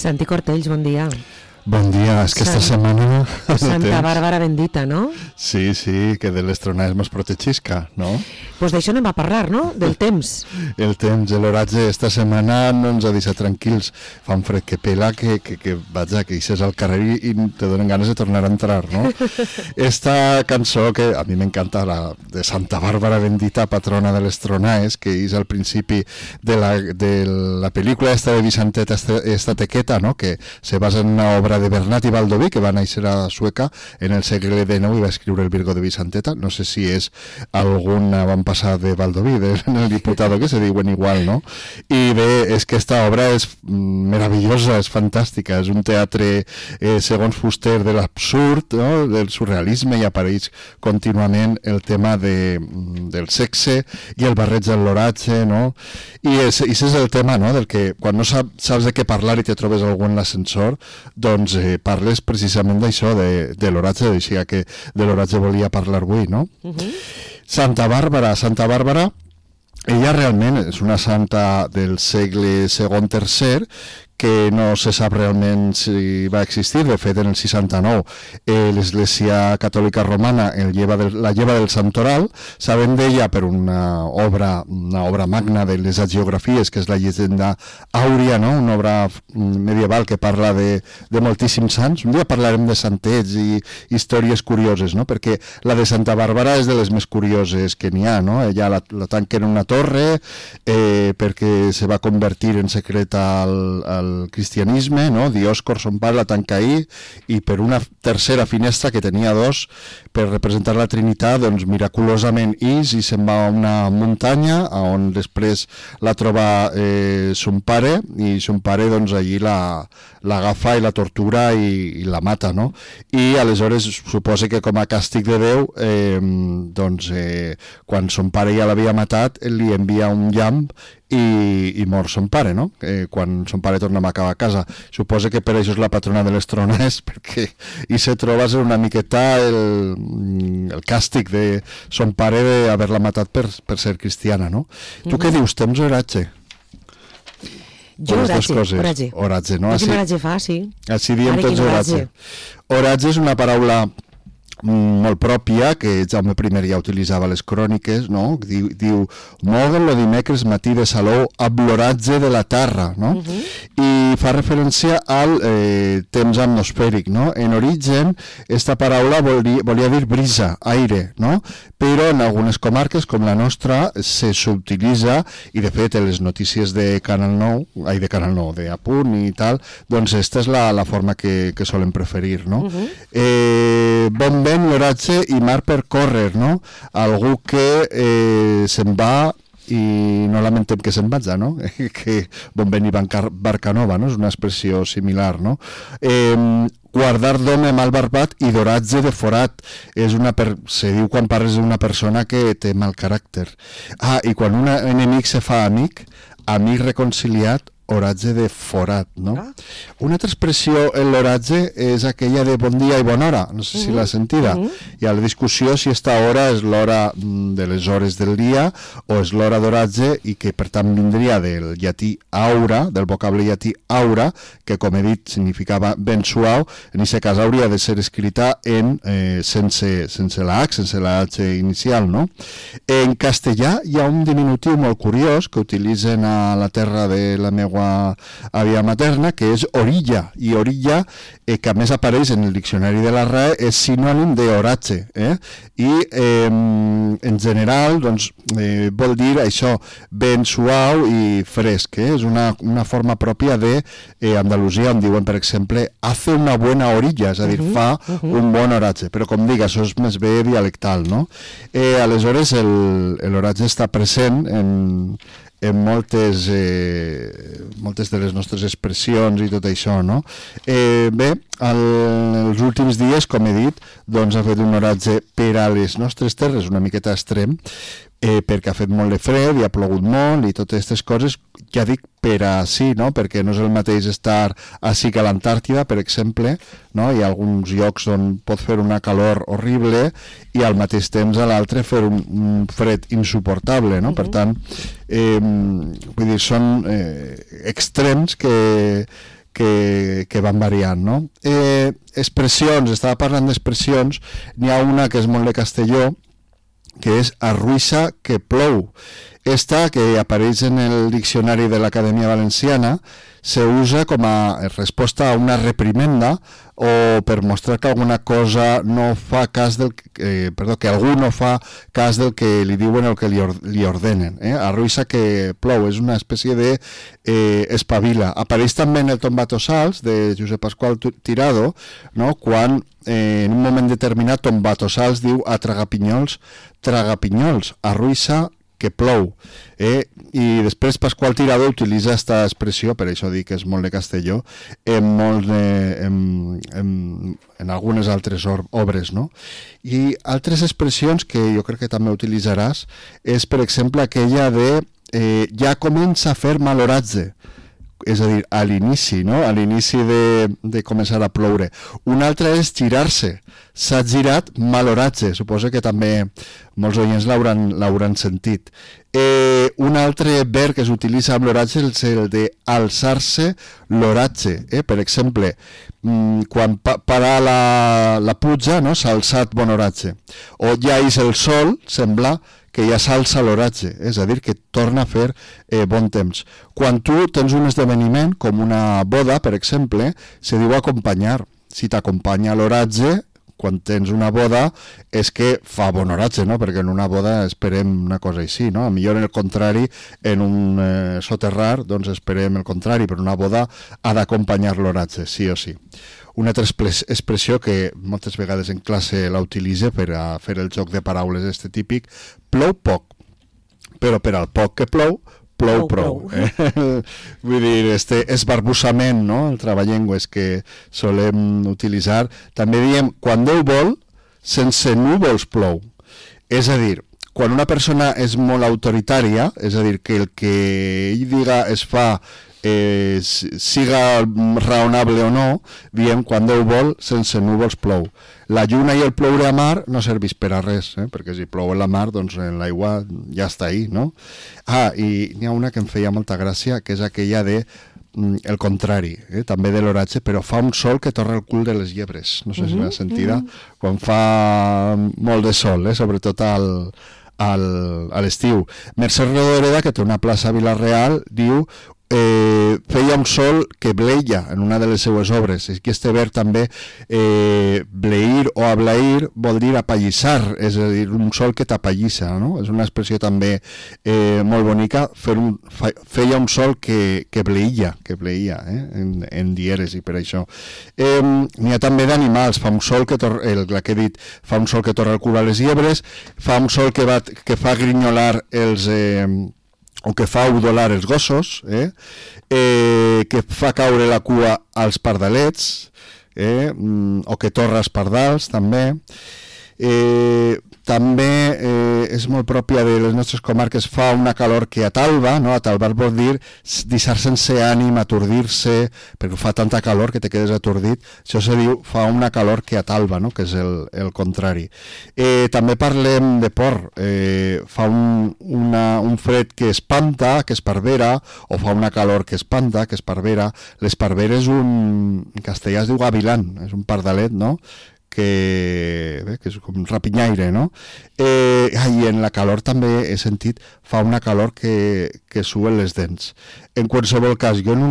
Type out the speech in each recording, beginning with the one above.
Santi Cortells, bon dia. Bon dia, és que esta setmana... Santa Bàrbara bendita, no? Sí, sí, que de les tronades mos protegisca, no? Pues d'això anem a parlar, no? Del temps. El temps, l'oratge, esta setmana no ens ha deixat tranquils. Fa un fred que pela, que vaja, que eixes al carrer i te donen ganes de tornar a entrar, no? Esta cançó, que a mi m'encanta, la de Santa Bàrbara bendita, patrona de les tronades, que és al principi de la pel·lícula esta de Vicentet, esta tequeta, no? Que se basa en una obra de Bernat i Baldoví, que va néixer a Sueca en el segle XIX i va escriure el Virgo de Vicenteta. No sé si és algun avantpassat de Baldoví, del diputado, que se diuen igual, no? I bé, és que esta obra és meravellosa, és fantàstica, és un teatre, segons Fuster, de l'absurd, no? Del surrealisme, i apareix contínuament el tema del sexe i el barreig de l'oratge, no? I ese és el tema, no? Del que quan no saps de què parlar i te trobes algú en l'ascensor, doncs parles precisament d'això, de l'oratge, així que de l'oratge volia parlar avui, no? Santa Bàrbara, ella realment és una santa del segle II-III, que no se sap realment si va existir. De fet, en el 69 l'Església Catòlica Romana la lleva del Santoral. Sabem d'ella per una obra magna de les hagiografies, que és la llegenda àurea, no? Una obra medieval que parla de moltíssims sants. Un dia parlarem de santets i històries curioses, no? Perquè la de Santa Bàrbara és de les més curioses que n'hi ha, no? Ella la tanquen en una torre perquè se va convertir en secret al cristianisme, no? Diòscor, son pare, la tanca ahí, i per una tercera finestra, que tenia dos, per representar la Trinitat, doncs miraculosament ix i se'n va a una muntanya on després la troba son pare, i son pare doncs allí l'agafa i la tortura i la mata, no? I aleshores suposa que com a càstig de Déu doncs quan son pare ja l'havia matat, li envia un llamp i mor son pare, no? Quan son pare torna a acabar a casa. Suposa que per això és la patrona de les tronades, perquè i se troba ser una miqueta el càstig de son pare d'haver-la matat per ser cristiana, no? Tu què dius? Temps o oratge? Jo oratge, no? Quin oratge fa, sí. Així diem tots oratge. Oratge és una paraula molt pròpia, que Jaume I ja utilitzava a les cròniques, no? Diu moguen-lo dimecres matí de Salou amb l'oratge de la terra, no? I fa referència al temps atmosfèric, no? En origen, esta paraula volia dir brisa, aire, no? Però en algunes comarques, com la nostra, se s'utilitza, i de fet, en les notícies de Canal 9, de Apunt i tal, doncs esta és la forma que solen preferir, no? Bon vent, l'oratge i mar per córrer, no? Algú que se'n va i no lamentem que se'n vaja, no? Que bon vent i barca nova, no? És una expressió similar, no? Guardar d'home mal barbat i d'oratge de forat. Se diu quan parles d'una persona que té mal caràcter. I quan un enemic se fa amic reconciliat, oratge de forat, no? Una altra expressió en l'oratge és aquella de bon dia i bona hora, no sé si l'ha sentida. Hi ha la discussió si esta hora és l'hora de les hores del dia o és l'hora d'oratge, i que per tant vindria del llatí aura, del vocable llatí aura, que com he dit significava ben suau. En aquest cas hauria de ser escrita sense la H, sense la H inicial, no? En castellà hi ha un diminutiu molt curiós que utilitzen a la terra de la meva àvia materna, que és orilla, i orilla, que a més apareix en el diccionari de la RAE, és sinònim d'oratge, i en general doncs, vol dir això, ben suau i fresc, és una forma pròpia d'Andalusia, on diuen, per exemple, hace una buena orilla, és a dir, fa un bon oratge, però com dic, això és més bé dialectal, no? Aleshores l'oratge està present en moltes de les nostres expressions i tot això, no? Bé, els últims dies, com he dit, doncs ha fet un oratge per a les nostres terres una miqueta extrem, perquè ha fet molt de fred i ha plogut molt i totes aquestes coses, ja dic per ací, no? Perquè no és el mateix estar ací que a l'Antàrtida, per exemple, no? Hi ha alguns llocs on pot fer una calor horrible i al mateix temps a l'altre fer un fred insuportable, no? Per tant, vull dir, són extrems que que van variant, no? Expressions, estava parlant d'expressions, n'hi ha una que és molt de Castelló, que és arruïssa que plou. Esta, que apareix en el diccionari de l'Acadèmia Valenciana, se usa com a resposta a una reprimenda o per mostrar que alguna cosa no fa cas del que algú no fa cas del que li diuen o que li ordenen. Arruïssa que plou és una espècie de espavila. Apareix també en el Tombatossals de Josep Pasqual Tirado, no? Quan en un moment determinat Tombatossals diu a tragapinyols, arruïssa que plou. I després Pasqual Tirado utilitza aquesta expressió, per això dic que és molt de Castelló, en algunes altres obres, no? I altres expressions que jo crec que també utilitzaràs és, per exemple, aquella de ja comença a fer mal oratge, és a dir, a l'inici, no? A l'inici de començar a ploure. Una altra és girar-se. S'ha girat mal oratge. Suposo que també molts oients l'hauran sentit. Un altre verb que s'utilitza amb l'oratge és el de alçar-se l'oratge. Per exemple, quan para la pluja, no? S'ha alçat bon oratge. O ja és el sol, sembla que ja s'alça l'oratge, és a dir, que torna a fer bon temps. Quan tu tens un esdeveniment, com una boda, per exemple, se diu acompanyar. Si t'acompanya l'oratge, quan tens una boda, és que fa bon oratge, no? Perquè en una boda esperem una cosa així, no? A millor en el contrari, en un soterrar, doncs esperem el contrari, però una boda ha d'acompanyar l'oratge, sí o sí. Una altra expressió que moltes vegades en classe la utilitza per a fer el joc de paraules este típic, plou poc, però per al poc que plou, plou prou. Vull dir, este esbarbussament, no? El traballengues que solem utilitzar. També diem, quan Déu vol, sense núvols plou. És a dir, quan una persona és molt autoritària, és a dir, que el que ell diga es fa siga raonable o no, diem quan Déu vol, sense núvols plou. La lluna i el ploure a mar no serveix per a res, perquè si plou a la mar, doncs en l'aigua ja està ahí, no? I n'hi ha una que em feia molta gràcia, que és aquella de el contrari, també de l'oratge, però fa un sol que torra el cul de les llebres. No sé si l'has sentida, quan fa molt de sol, sobretot a l'estiu. Mercè Rodoreda, que té una plaça a Vila-real, diu feia un sol que bleia en una de les seues obres. És que este verb també bleir o ablair vol dir apallissar, és a dir, un sol que t'apallissa, no? És una expressió també molt bonica. Feia un sol que bleia en dieres, i per això n'hi ha també d'animals. Fa un sol que la que he dit, fa un sol que torra el cul a les llebres, fa un sol que fa grinyolar o que fa udolar els gossos, que fa caure la cua als pardalets, o que torra els pardals, també. També és molt pròpia de les nostres comarques, fa una calor que atalba, no? Atalbar vol dir deixar sense ànim, atordir-se, perquè fa tanta calor que te quedes atordit. Això se diu, fa una calor que atalba, no? Que és el contrari. També parlem de por, fa un fred que espanta, que esparvera, o fa una calor que espanta, que esparvera. L'esparvera en castellà es diu gavilán, és un pardalet, no? Que és com un rapinyaire, no? I en la calor també he sentit, fa una calor que suen les dents. En qualsevol cas, jo en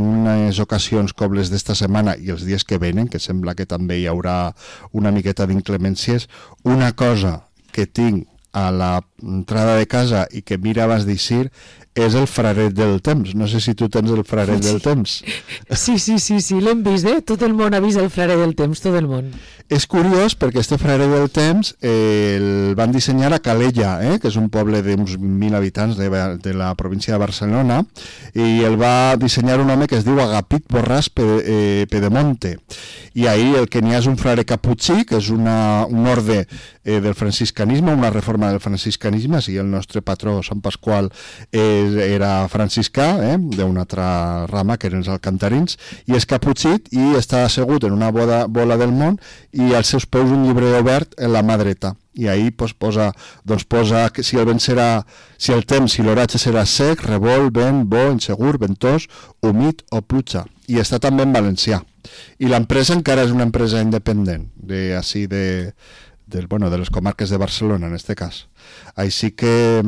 unes ocasions com les d'esta setmana i els dies que venen, que sembla que també hi haurà una miqueta d'inclemències, una cosa que tinc a l'entrada de casa i que mira abans d'eixir és el fraret del temps. No sé si tu tens el fraret del temps. Sí, l'hem vist, Tot el món ha vist el fraret del temps, tot el món. És curiós perquè este fraret del temps el van dissenyar a Calella, que és un poble d'uns 1.000 habitants de la província de Barcelona, i el va dissenyar un home que es diu Agapit Borràs Pedemonte. I ahir el que n'hi ha és un frare caputxí, que és un orde del franciscanisme, una reforma del franciscanisme. Si el nostre patró, Sant Pasqual, era franciscà, d'una altra rama, que eren els alcantarins, i és caputxit i està assegut en una bola del món i als seus peus un llibre obert en la mà dreta. I ahir posa que si el vent serà, si el temps, si l'oratge serà sec, revolt, vent, bo, insegur, ventós, humit o pluja. I està també en valencià. I l'empresa encara és una empresa independent, de les comarques de Barcelona, en este cas. Així que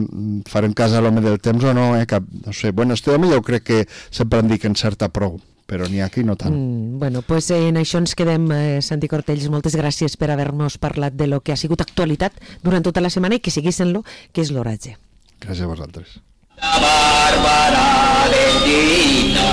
farem cas a l'home del temps o no, no sé. Bueno, este home jo crec que sempre en dic en certa prou, però n'hi ha aquí no tant. Bueno, pues en això ens quedem, Santi Cortells. Moltes gràcies per haver-nos parlat de lo que ha sigut actualitat durant tota la setmana i que seguís en lo que és l'oratge. Gràcies a vosaltres. La Bàrbara bendita,